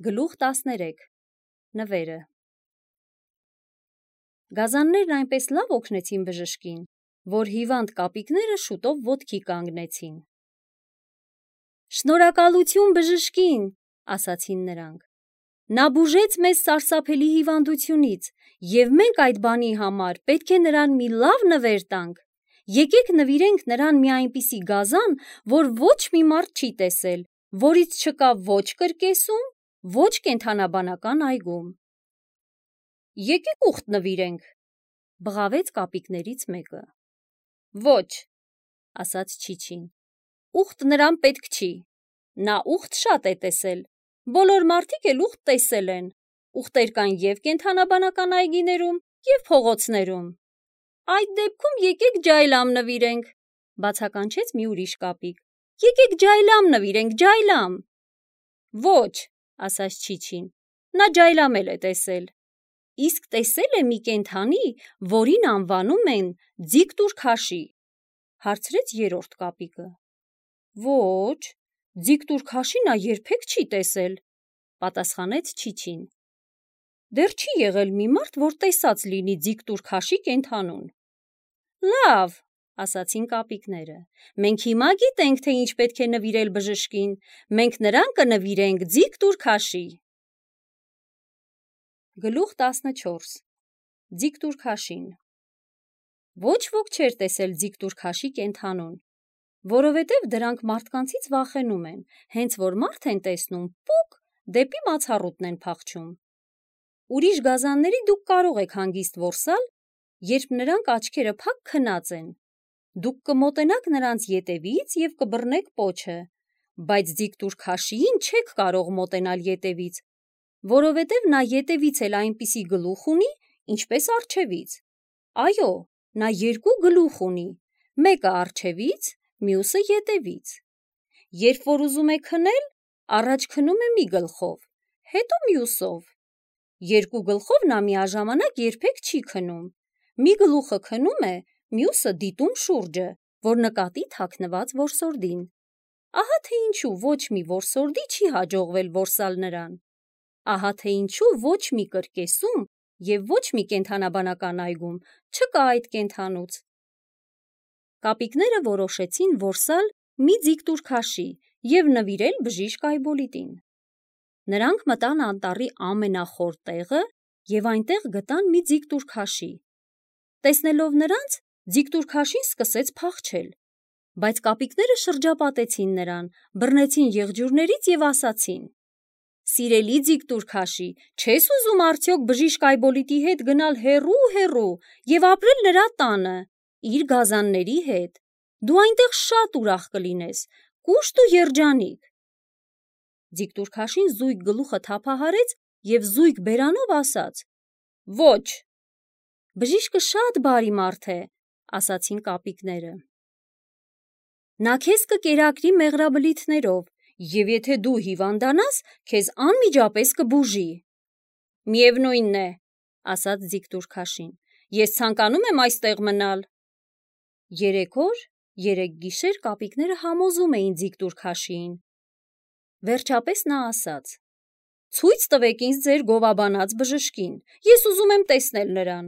Գլուխ 13 Նվերը Գազաններն այնպես լավ օգնեցին բժշկին, որ հիվանդ կապիկները շուտով ոտքի կանգնեցին։ «Շնորհակալություն բժշկին», ասացին նրանք։ «Նա բուժեց մեզ սարսափելի հիվանդությունից, և մենք այդ բանի համար պետք է նրան մի լավ նվեր տանք։ Եկեք նվիրենք նրան մի այնպիսի գազան, որ ոչ մի մարդ չի տեսել, որից չկա ոչ կրկեսում, ոչ կենդանաբանական այգում»։ «Եկեք ուխտ նվիրենք», բղավեց կապիկներից մեկը։ «Ոչ», ասաց Չիչին, «ուխտ նրան պետք չի։ Նա ուխտ շատ է տեսել, բոլոր մարդիկ էլ ուխտ տեսել են, ուխտեր կան և կենդանաբանական այգիներում, և փողոցներում»։ «Այդ դեպքում եկեք ջայլամ նվիրենք», բացականչեց մի ուրիշ կապիկ։ «Եկեք ջայլամ նվիրենք, ջայլամ»։ «Ոչ», ասաց Չիչին, նա ջայլամ էլ է տեսել։ Իսկ տեսել է մի կենդանի, որին անվանում են ձիգ-տուր քաշի, հարցրեց երրորդ կապիկը։ Ոչ, ձիգ-տուր քաշի նա երբեք չի տեսել, պատասխանեց Չիչին։ Դեռ չի եղել մի մարդ, որ տեսած լինի ձիգ-տուր քաշի կենդանուն։ Լավ, ասացին կապիկները, մենք հիմա գիտենք, թե ինչ պետք է նվիրել բժշկին, մենք նրան կնվիրենք ձիգ-տուր քաշի։ Գլուխ 14 Ձիգ-տուր քաշին Ոչ ոք չէր տեսել ձիգ-տուր քաշի կենդանուն, որովհետև դրանք մարդկանցից վախենում են, հենց որ մարդ են տեսնում, պուկ, դեպի մացառուտն են փախչում։ Ուրիշ գազանների դուք կարող եք հանգիստ որսալ, երբ նրանք աչքերը փակ քնած են։ Դուք կմոտենաք նրանց ետևից և կբռնեք պոչը, բայց ձիգ-տուր քաշիին չեք կարող մոտենալ ետևից, որովհետև նա ետևից էլ այնպիսի գլուխ ունի, ինչպես առջևից։ Այո, նա երկու գլուխ ունի, մեկը առջևից, մյուսը ետևից։ Երբ որ ուզում է քնել, առաջ քնում է մի գլխով, հետո մյուսով։ Երկու գլխով նա միաժամանակ երբեք չի քնում։ Մի գլուխը քնում է, մյուսը դիտում շուրջը, որ նկատի թաքնված որսորդին։ Ահա թե ինչու ոչ մի որսորդի չի հաջողվել որսալ նրան։ Ահա թե ինչու ոչ մի կրկեսում և ոչ մի կենդանաբանական այգում չկա այդ կենդանուց։ Կապիկները որոշեցին որսալ մի ձիգ-տուր քաշի և նվիրել բժիշկ Այբոլիտին։ Նրանք մտան անտառի ամենախոր տեղը և այնտեղ գտան մի ձիգ-տուր քաշի։ Տեսնելով նրանց, ձիգ-տուր քաշին սկսեց փախչել, բայց կապիկները շրջապատեցին նրան, բռնեցին եղջյուրներից և ասացին. Սիրելի ձիգ-տուր քաշի, չես ուզում արդյոք բժիշկ Այբոլիտի հետ գնալ հեռու և ապրել նրա տանը, իր գազանների հետ։ Դու այնտեղ շատ ուրախ կլինես, կուշտ ու երջանիկ։ Ձիգ-տուր քաշին զույգ գլուխը թափահարեց և զույգ բերանով ասաց. Ոչ։ Բժիշկը շատ բարի մարդ է, ասացին կապիկները։ Նա քեզ կկերակրի մեղրաբլիթներով, և եթե դու հիվանդանաս, քեզ անմիջապես կբուժի։ Միևնույն է, ասաց ձիգ-տուր քաշին, ես ցանկանում եմ այստեղ մնալ։ 3 օր, 3 գիշեր կապիկները համոզում էին ձիգ-տուր քաշիին։ Վերջապես նա ասաց. Ցույց տվեք ինձ ձեր գովաբանած բժշկին, ես ուզում եմ տեսնել նրան։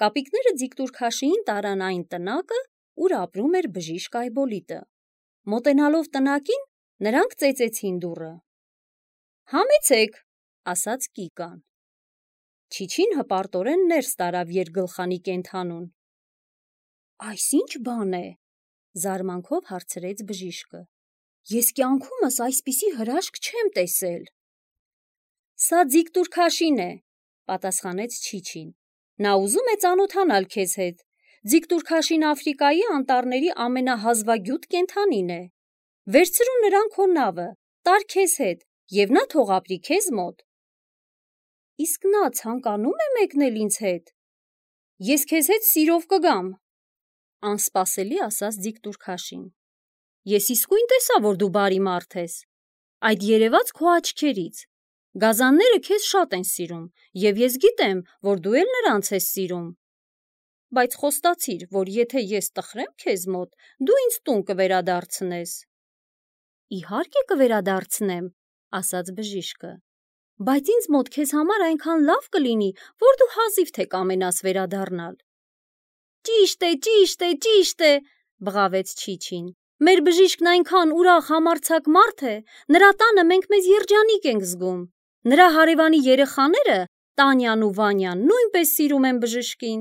Կապիկները ձիգ-տուր քաշիին տարան այն տնակը, ուր ապրում էր բժիշկ Այբոլիտը։ Մոտենալով տնակին, նրանք ծեծեցին դուռը։ Համեցեք, ասաց Կիկան։ Չիչին հպարտորեն ներս տարավ երկգլխանի կենդանուն։ Այս ի՞նչ բան է, զարմանքով հարցրեց բժիշկը։ Ես կյանքումս այսպիսի հրաշք չեմ տեսել։ Սա ձիգ-տուր քաշին է, պատասխանեց Չիչին։ Նա ուզում է ծանոթանալ քեզ հետ։ Ձիգ-տուր քաշին Աֆրիկայի անտառների ամենահազվագյուտ կենդանին է։ Վերցրու նրան քո նավը, տար քեզ հետ, և նա թող ապրի քեզ մոտ։ Իսկ նա ցանկանում է մեկնել ինձ հետ։ Ես քեզ հետ սիրով կգամ, անսպասելի ասաց ձիգ-տուր քաշին։ Ես իսկույն տեսա, որ դու բարի մարդ ես։ Այդ երևաց քո աչքերից։ Գազանները քեզ շատ են սիրում, և ես գիտեմ, որ դու էլ նրանց ես սիրում։ Բայց խոստացիր, որ եթե ես տխրեմ քեզ մոտ, դու ինձ տուն կվերադարձնես։ Իհարկե կվերադարձնեմ, ասաց բժիշկը։ Բայց ինձ մոտ քեզ համար այնքան լավ կլինի, որ դու հազիվ թե կամենաս վերադառնալ։ Ճիշտ է, բղավեց Չիչին։ Մեր բժիշկն այնքան ուրախ համարձակ մարդ է, նրա տանը մենք մեզ երջանիկ ենք զգում։ Նրա հարևանի երեխաները, Տանյան ու Վանյան, նույնպես սիրում են բժշկին։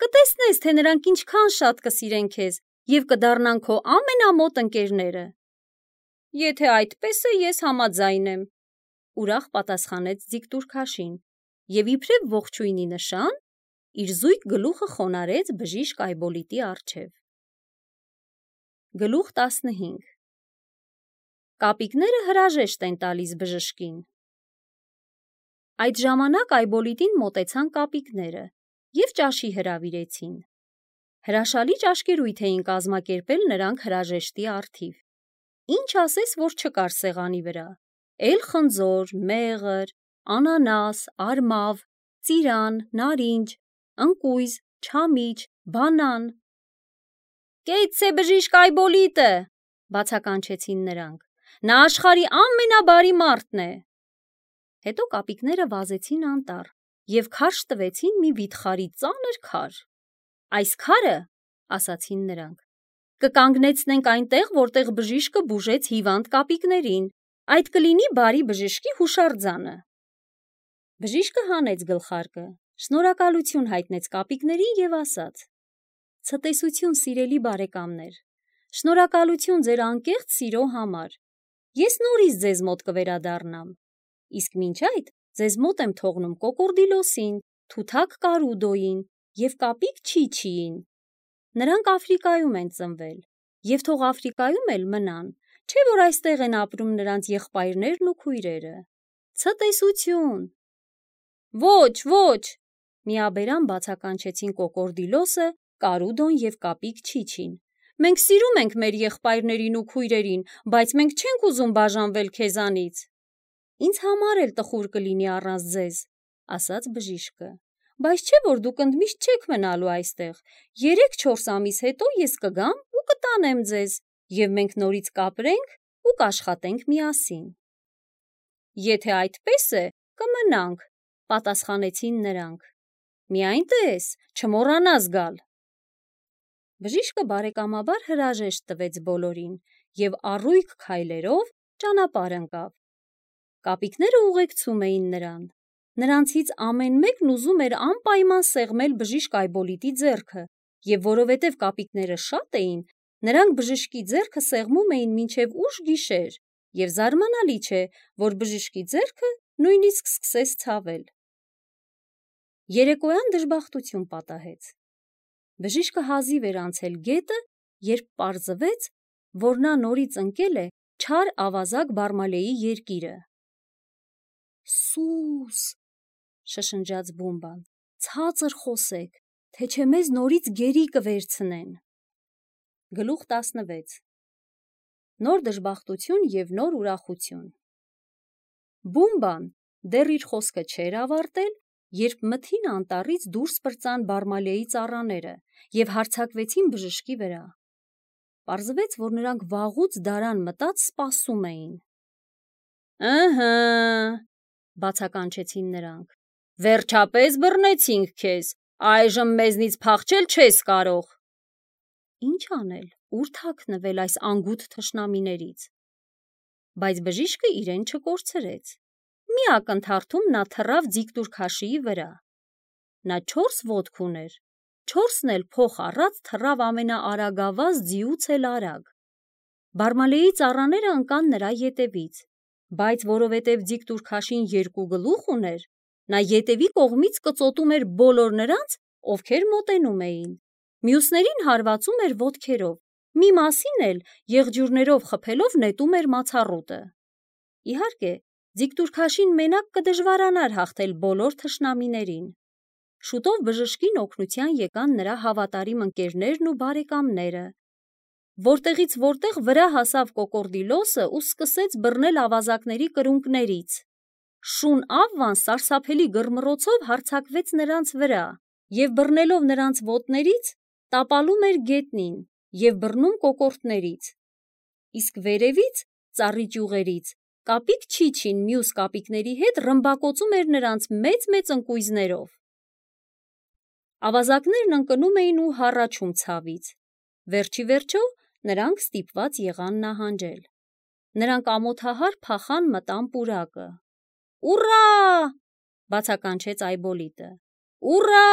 Կտեսնես, թե նրանք ինչքան շատ կսիրեն քեզ և կդառնան քո ամենամոտ ընկերները։ Եթե այդպես է, ես համաձայն եմ, ուրախ պատասխանեց Ձիգտուր-Քաշին և իբրև ողջույնի նշան իր զույգ գլուխը խոնարհեց բժիշկ Այբոլիտի առջև։ Գլուխ 15 Կապիկները հրաժեշտ են տալիս բժշկին։ Այդ ժամանակ Այբոլիտին մոտեցան կապիկները և ճաշի հրավիրեցին։ Հրաշալի ճաշկերույթ էին կազմակերպել նրանք հրաժեշտի առթիվ։ Ինչ ասես, որ չկար սեղանի վրա։ Էլ խնձոր, մեղր, անանաս, արմավ, ծիրան, նարինջ, ընկույզ, չամիչ, բանան։ Կեցցե բժիշկ Այբոլիտը, բացականչեցին նրանք։ Նա աշխարհի ամենաբարի մարդն է։ Հետո կապիկները վազեցին անտառ և քարշ տվեցին մի վիթխարի ծանր քար։ Այս քարը, ասացին նրանք, կկանգնեցնենք այնտեղ, որտեղ բժիշկը բուժեց հիվանդ կապիկներին։ Այդ կլինի բարի բժշկի հուշարձանը։ Բժիշկը հանեց գլխարկը, շնորհակալություն հայտնեց կապիկներին և ասաց. Ցտեսություն, սիրելի բարեկամներ, շնորհակալություն ձեր անկեղծ սիրո համար։ Ես նորից ձեզ մոտ կվերադառնամ։ Իսկ մինչ այդ ձեզ մոտ եմ թողնում Կոկորդիլոսին, Թութակ Կարուդոյին և կապիկ Չիչիին։ Նրանք Աֆրիկայում են ծնվել և թող Աֆրիկայում էլ մնան, չէ՞ որ այստեղ են ապրում նրանց եղբայրներն ու քույրերը։ Ցտեսություն։ Ոչ, միաբերան բացականչեցին Կոկորդիլոսը, Կարուդոն և կապիկ Չիչին։ Մենք սիրում ենք մեր եղբայրներին ու քույրերին, բայց մենք չենք ուզում բաժանվել քեզանից։ Ինձ համար էլ տխուր կլինի առանց ձեզ, ասաց բժիշկը։ Բայց չէ՞ որ դուք ընդմիշտ չեք մնալու այստեղ։ 3-4 ամիս հետո ես կգամ ու կտանեմ ձեզ, և մենք նորից կապրենք ու կաշխատենք միասին։ Եթե այդպես է, կմնանք, պատասխանեցին նրանք։ Միայն տես, չմոռանաս գալ։ Բժիշկը բարեկամաբար հրաժեշտ տվեց բոլորին և առույգ քայլերով ճանապարհ ընկավ։ Կապիկները ուղեկցում էին նրան։ Նրանցից ամեն մեկն ուզում էր անպայման սեղմել բժիշկ Այբոլիտի ձեռքը, և որովհետև կապիկները շատ էին, նրանք բժշկի ձեռքը սեղմում էին մինչև ուշ գիշեր, և զարմանալի չէ, որ բժշկի ձեռքը նույնիսկ սկսեց ցավել։ Երեկոյան դժբախտություն պատահեց։ Բժիշկը հազիվ էր անցել գետը, երբ պարզվեց, որ նա նորից ընկել է չար ավազակ Բարմալեի երկիրը։ Սուս, շշնջաց Բումբան, ցածր խոսեք, թե չէ մեզ նորից գերի կվերցնեն։ Գլուխ 16 Նոր դժբախտություն և նոր ուրախություն։ Բումբան դեռ իր խոսքը չէր ավարտել, երբ մթին անտառից դուրս պրծան Բարմալեի ծառաները և հարձակվեցին բժշկի վրա։ Պարզվեց, որ նրանք վաղուց դարան մտած սպասում էին։ Ըհը, բացականչեցին նրանք։ Վերջապես բռնեցինք քեզ, այժմ մեզնից փախչել չես կարող։ Ինչ անել, ուր թաքնվել այս անգութ թշնամիներից։ Բայց բժիշկը իրեն չկորցրեց։ Մի ակնթարթում նա թռավ Ձիգտուր-Քաշիի վրա։ Նա 4 ոտք ուներ, 4-ն էլ փոխ առած թռավ ամենաարագավազ ձիուց էլ արագ։ Բարմալեի ծառաները ընկան նրա ետևից, բայց որովհետև Ձիգտուր-Քաշին 2 գլուխ ուներ, նա ետևի կողմից կծոտում էր բոլոր նրանց, ովքեր մոտենում էին։ Մյուսներին հարվածում էր ոտքերով, մի մասին էլ եղջյուրներով խփելով նետում էր մացառուտը։ Իհարկե, Ձիգտուր-Քաշին մենակ կդժվարանար հաղթել բոլոր թշնամիներին։ Շուտով բժշկին օգնության եկան նրա հավատարիմ ընկերներն ու բարեկամները։ Որտեղից որտեղ վրա հասավ Կոկորդիլոսը ու սկսեց բռնել ավազակների կրունկներից։ Շուն Ավվան սարսափելի գռմռոցով հարձակվեց նրանց վրա և բռնելով նրանց ոտներից, տապալում էր գետնին և բռնում կոկորդներից, իսկ վերևից, ծառի ճյուղերից, Կապիկ Չիչին մյուս կապիկների հետ ռմբակոծում էր նրանց մեծ ընկույզներով։ Ավազակներն ընկնում էին ու հառաչում ցավից։ Վերջի վերջո նրանք ստիպված եղան նահանջել։ Նրանք ամոթահար փախան մտան պուրակը։ «Ուռա!» բացականչեց Այբոլիտը։ «Ուռա!»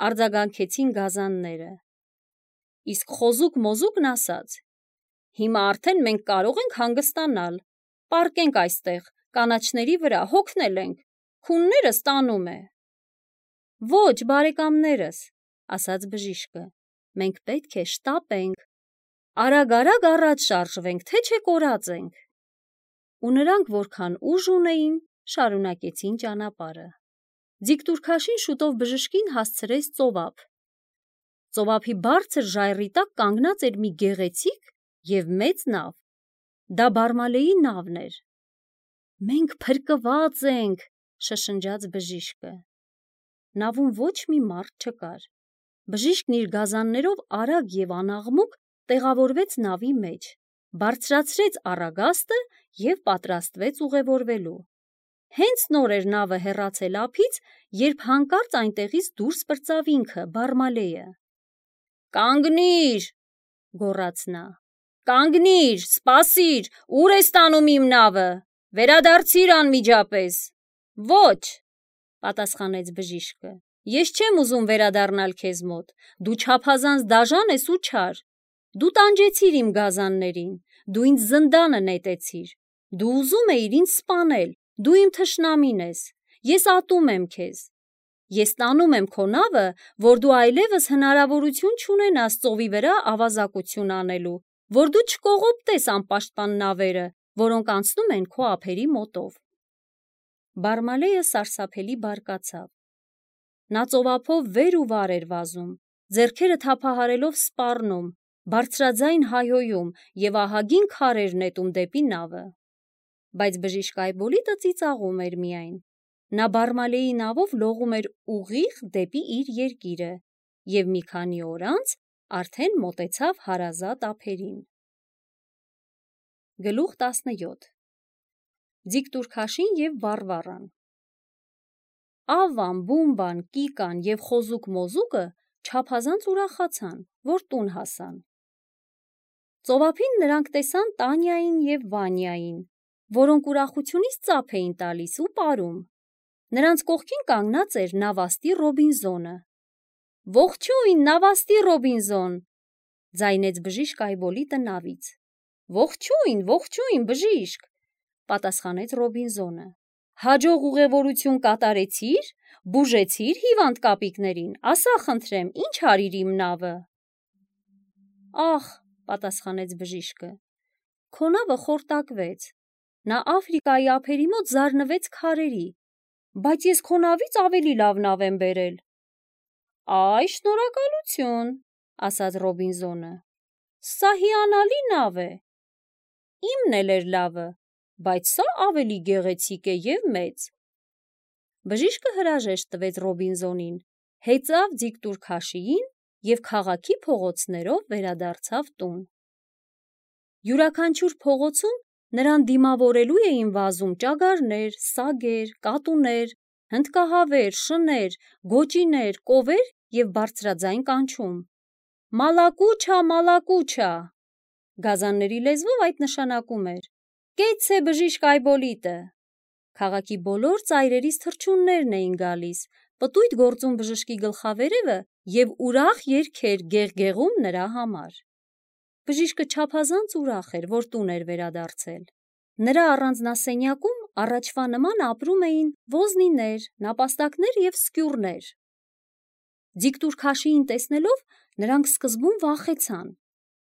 արձագանքեցին գազանները։ Իսկ խոզուկ-մոզուկն ասաց. «Հիմա արդեն մենք կարող ենք հանգստանալ, պառկենք այստեղ, կանաչների վրա, հոգնել ենք, քուններս տանում է»։ «Ոչ, բարեկամներս», ասաց բժիշկը, մենք պետք է շտապենք, արագ առաջ շարժվենք, թե չէ կորած ենք։ Ու նրանք որքան ուժ ունեին, շարունակեցին ճանապարհը։ Ձիգտուրքաշին շուտով բժշկին հասցրեց ծովափ։ Ծովափի բարձր ժայռի տակ կանգնած էր մի գեղեցիկ և մեծ նավ։ Դա Բարմալեի նավն էր։ «Մենք փրկված ենք», շշնջաց բժիշկը։ Նավում ոչ մի մարդ չկար։ Բժիշկն իր գազաններով արագ և անաղմուկ տեղավորվեց նավի մեջ, բարձրացրեց առագաստը և պատրաստվեց ուղևորվելու։ Հենց նոր էր նավը հեռացել ափից, երբ հանկարծ այնտեղից դուրս պրծավ ինքը, Բարմալեը։ «Կանգնի՛ր», գոռաց նա։ «Կանգնի՛ր, սպասիր, ուր ես տանում իմ նավը, վերադարձի՛ր անմիջապես»։ «Ոչ», պատասխանեց բժիշկը, ես չեմ ուզում վերադառնալ քեզ մոտ, դու չափազանց դաժան ես ու չար։ Դու տանջեցիր իմ գազաններին, դու ինձ զնդանը նետեցիր, դու ուզում էիր ինձ սպանել, դու իմ թշնամին ես, ես ատում եմ քեզ։ Ես տանում եմ քո նավը, որ դու այլևս հնարավորություն չունենաս ծովի վրա ավազակություն անելու, որ դու չկողոպտես անպաշտպան նավերը, որոնք անցնում են քո ափերի մոտով։ Բարմալեը սարսափելի բարկացավ։ Նա ծովափով վեր ու վար էր վազում, ձեռքերը թափահարելով սպառնում, բարձրաձայն հայհոյում և ահագին քար էր նետում դեպի նավը։ Բայց բժիշկ Այբոլիտը ծիծաղում էր միայն։ Նա Բարմալեի նավով լողում էր ուղիղ դեպի իր երկիրը և մի քանի օր անց արդեն մոտեցավ հարազատ ափերին։ Գլուխ 17 Ձիգտուրքաշին և Վառվառան։ Ավվան, Բումբան, Կիկան և խոզուկ-մոզուկը չափազանց ուրախացան, որ տուն հասան։ Ծովափին նրանք տեսան Տանյային և Վանյային, որոնք ուրախությունից ծափ էին տալիս ու պարում։ Նրանց կողքին կանգնած էր նավաստի Ռոբինզոնը։ «Ողջույն, նավաստի Ռոբինզոն», ձայնեց բժիշկ Այբոլիտը նավից։ Ողջույն, բժիշկ, պատասխանեց Ռոբինզոնը։ Հաջող ուղևորություն կատարեցի՞ր, բուժեցի՞ր հիվանդ կապիկներին, ասա խնդրեմ, ինչ արիր իմ նավը։ Ախ, պատասխանեց բժիշկը, քո նավը խորտակվեց, նա Աֆրիկայի ափերի մոտ զարնվեց քարերի, բայց ես քո նավից ավելի լավ նավ եմ բերել։ Այ, շնորհակալություն, ասաց Ռոբինզոնը, սա հիանալի նավ է։ Իմն էլ էր լավը, բայց սա ավելի գեղեցիկ է և մեծ։ Բժիշկը հրաժեշտ տվեց Ռոբինզոնին, հեծավ Ձիգտուրքաշիին և քաղաքի փողոցներով վերադարձավ տուն։ Յուրաքանչյուր փողոցում նրան դիմավորելու էին վազում ճագարներ, սագեր, կատուներ, հնդկահավեր, շներ, գոճիներ, կովեր և բարձրաձայն կանչում. «Մալակուչա, մալակուչա»։ Գազանների լեզվով այդ նշանակում էր. «Կեցցե բժիշկ Այբոլիտը»։ Քաղաքի բոլոր ծայրերից թռչուններն էին գալիս, պտույտ գործում բժշկի գլխավերևը և ուրախ երգեր գեղգեղում նրա համար։ Բժիշկը չափազանց ուրախ էր, որ տուն էր վերադարձել։ Նրա առանձնասենյակում առաջվա նման ապրում էին ոզնիներ, նապաստակներ և սկյուռներ։ Ձիգտուրքաշիին տեսնելով նրանք սկզբում վախեցան,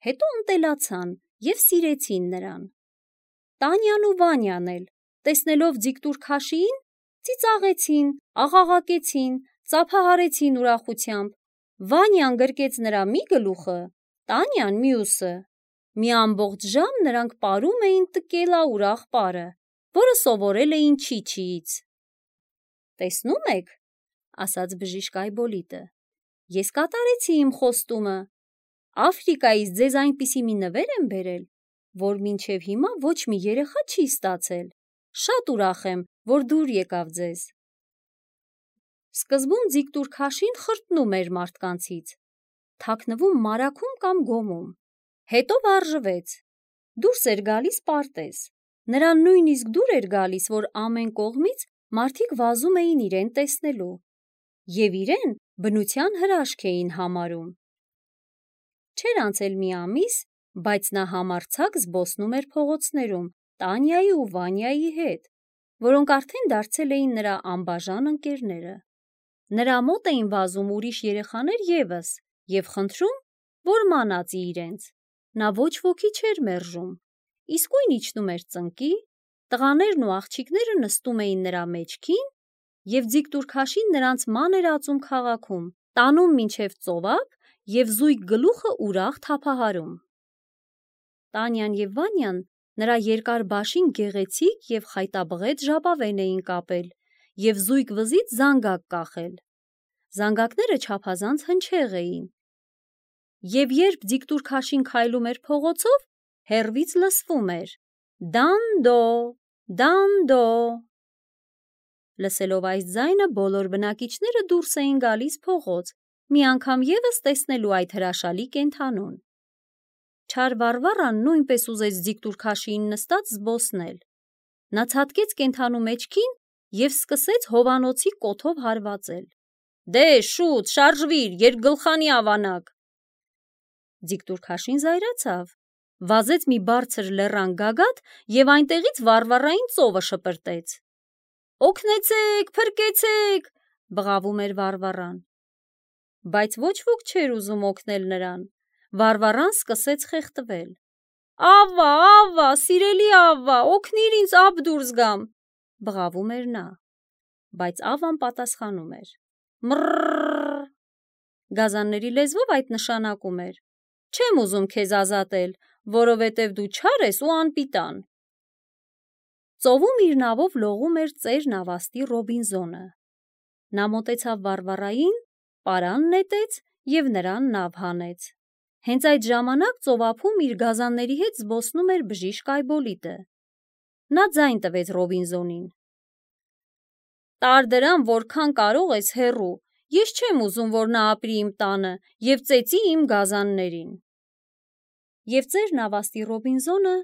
հետո ընտելացան և սիրեցին նրան։ Տանյան ու Վանյան էլ, տեսնելով Ձիգտուրքաշիին, ծիծաղեցին, աղաղակեցին, ծափահարեցին ուրախությամբ։ Վանյան գրկեց նրա մի գլուխը, Տանյան մյուսը։ Մի ամբողջ ժամ նրանք պարում էին տկելաուրախ պարը, որը սովորել էին Չիչիից։ Տեսնում եք, ասաց բժիշկ Այբոլիտը, ես կատարեցի իմ խոստումը։ Աֆրիկայից ձեզ այնպիսի մի նվեր եմ բերել, որ մինչև հիմա ոչ մի երեխա չի ստացել։ Շատ ուրախ եմ, որ դուր եկավ ձեզ։ Սկզբում ձիգտուր քաշին խրտնում էր մարդկանցից, թաքնվում մարաքում կամ գոմում, հետո վարժվեց, դուրս էր գալիս պարտեզ, նրան նույնիսկ դուր էր գալիս, որ ամեն կողմից մարդիկ վազում էին իրեն տեսնելու և իրեն բնության հրաշք էին համարում։ Չէր անցել մի ամիս, բայց նա համարձակ զբոսնում էր փողոցներում Տանյայի ու Վանյայի հետ, որոնք արդեն դարձել էին նրա անբաժան ընկերները։ Նրա մոտ էին վազում ուրիշ երեխաներ ևս և խնդրում, որ մանածի իրենց։ Նա ոչ ոքի չէր մերժում, իսկույն իջնում էր ծնկի, տղաներն ու աղջիկները նստում էին նրա մեջքին և ձիգտուր քաշին նրանց ման էր ածում քաղաքում, տանում մինչև ծովափ և զույգ գլուխը ուրախ թափահարում։ Տանյան և Վանյան նրա երկար բաշին գեղեցիկ և խայտաբղետ ժապավեն էին կապել և զույգ վզից զանգակ կախել։ Զանգակները չափազանց հնչեղ էին, և երբ ձիգտուր քաշին քայլում էր փողոցով, հեռվից լսվում էր. «Դանդո, դանդո»։ Լսելով այս ձայնը բոլոր բնակիչները դուրս էին գալիս փողոց, մի անգամ ևս տեսնելու այդ հրաշալի կենդանուն։ Չար Վարվառան նույնպես ուզեց ձիգտուր քաշիին նստած զբոսնել։ Նա ցատկեց կենդանու մեջքին և սկսեց հովանոցի կոթով հարվածել։ «Դե շուտ, շարժվիր, երկգլխանի ավանակ»։ Ձիգտուր քաշին զայրացավ, վազեց մի բարձր լեռան գագաթ և այնտեղից Վարվառային ծովը շպրտեց։ «Օգնեցե՛ք, փրկեցե՛ք», բղավում էր Վարվառան։ Բայց ոչ ոք չէր ուզում օգնել նրան։ Վարվառան սկսեց խեղդվել։ «Ավվա, ավվա, սիրելի ավվա, օգնիր ինձ ափ դուրս գամ», բղավում էր նա։ Բայց ավվան պատասխանում էր. «Մռռռռ»։ Գազանների լեզվով այդ նշանակում էր. «Չեմ ուզում քեզ ազատել, որովհետև դու չար ես ու անպիտան»։ Ծովում իր նավով լողում էր ծեր նավաստի Ռոբինզոնը։ Նա մոտեցավ Վարվառային, պարան նետեց և նրան նավ հանեց։ Հենց այդ ժամանակ ծովափում իր գազանների հետ զբոսնում էր բժիշկ Այբոլիտը։ Նա ձայն տվեց Ռոբինզոնին. «Տար դրան, որքան կարող ես հեռու, ես չեմ ուզում, որ նա ապրի իմ տանը և ծեծի իմ գազաններին»։ Եվ ծեր նավաստի Ռոբինզոնը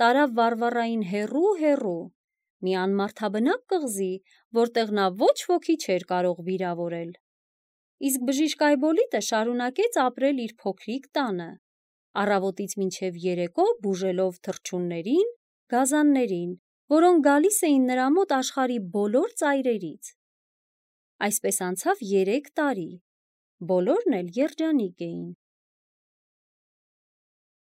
տարավ Վարվառային հեռու, մի անմարդաբնակ կղզի, որտեղ նա ոչ ոքի չէր կարող վիրավորել։ Իսկ բժիշկ Այբոլիտը շարունակեց ապրել իր փոքրիկ տանը, առավոտից մինչև երեկո բուժելով թռչուններին, գազաններին, որոնք գալիս էին նրա մոտ աշխարհի բոլոր ծայրերից։ Այսպես անցավ 3 տարի, բոլորն էլ երջանիկ էին։